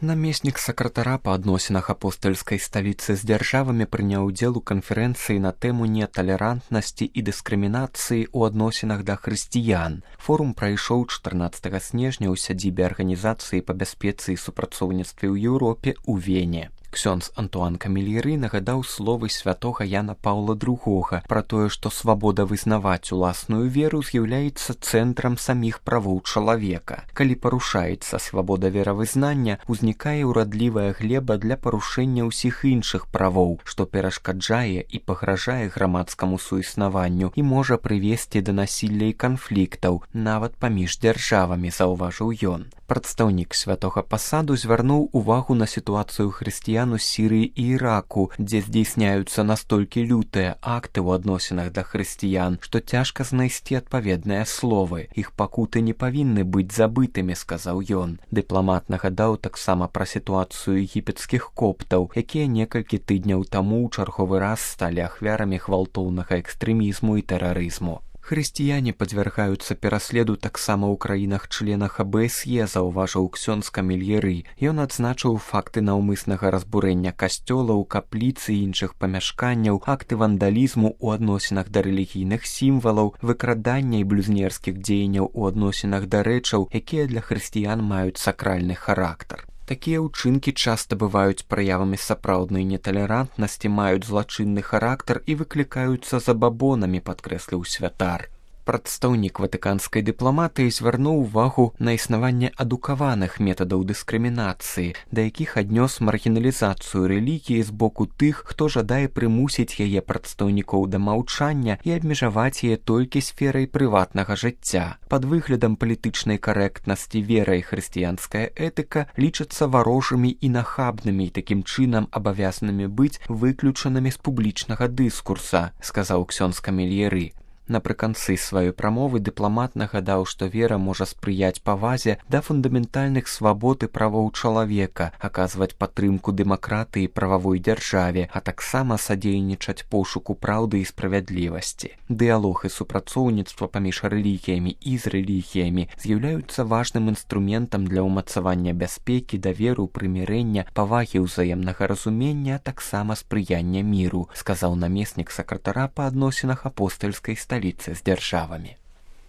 Намеснік сакратара па адносінах апостальскай сталіцы з дзяржавамі прыняў удзел у канферэнцыі на тэму неталерантнасці і дыскрымінацыі ў адносінах да хрысціян. Форум прайшоў 14 снежня ў сядзібе арганізацыі па бяспецы і супрацоўніцтве ў Еўропе ў Вене. Ксёндз Антуан Камельеры нагадаў словы святога Яна Паўла II пра тое, што свабода вызнаваць уласную веру з'яўляецца цэнтрам саміх правоў чалавека. Калі парушаецца свабода веравызнання, узнікае ўрадлівая глеба для парушэння ўсіх іншых правоў, што перашкаджае і пагражае грамадскаму суіснаванню і можа прывесці да насілля і канфліктаў, нават паміж дзяржавамі, заўважыў ён. Прадстаўнік святога пасаду звярнуў увагу на сітуацыю хрысціян у Сірыі і Іраку, дзе здзейсняюцца настолькі лютыя акты ў адносінах да хрысціян, што цяжка знайсці адпаведныя словы. Іх пакуты не павінны быць забытымі, сказаў ён. Дыпламат нагадаў таксама пра сітуацыю егіпецкіх коптаў, якія некалькі тыдняў таму ў чарговы раз сталі ахвярамі гвалтоўнага экстрэмізму і тэрарызму. Хрысціяне падвяргаюцца пераследу таксама ў краінах-членах АБСЕ, заўважыў ксёндз Камельеры. Ён адзначыў факты наўмыснага разбурэння касцёлаў, капліц і іншых памяшканняў, акты вандалізму ў адносінах да рэлігійных сімвалаў, выкрадання і блюзнерскіх дзеянняў у адносінах да рэчаў, якія для хрысціян маюць сакральны характар. Такія ўчынкі часта бываюць праявамі сапраўднай неталерантнасці, маюць злачынны характар і выклікаюцца забабонамі, падкрэсліў святар. Прадстаўнік ватыканскай дыпламатыі звярнуў увагу на існаванне адукаваных метадаў дыскрымінацыі, да якіх аднёс маргіналізацыю рэлігіі з боку тых, хто жадае прымусіць яе прадстаўнікоў да маўчання і абмежаваць яе толькі сферай прыватнага жыцця. Пад выглядам палітычнай карэктнасці вера і хрысціянская этыка лічацца варожымі і нахабнымі і такім чынам абавязанымі быць выключанымі з публічнага дыскурса, сказаў ксёндз Камельеры. Напрыканцы сваёй прамовы дыпламат нагадаў, што вера можа спрыяць павазе да фундаментальных свабод і правоў чалавека, аказваць падтрымку дэмакратыі і прававой дзяржаве, а таксама садзейнічаць пошуку праўды і справядлівасці. Дыялог і супрацоўніцтва паміж рэлігіямі і з рэлігіямі з'яўляюцца важным інструментам для ўмацавання бяспекі, даверу, прымірэння, павагі ўзаемнага разумення, а таксама спрыяння міру, сказаў намеснік сакратара па адносінах апостальскай сталіцы з дзяржавамі.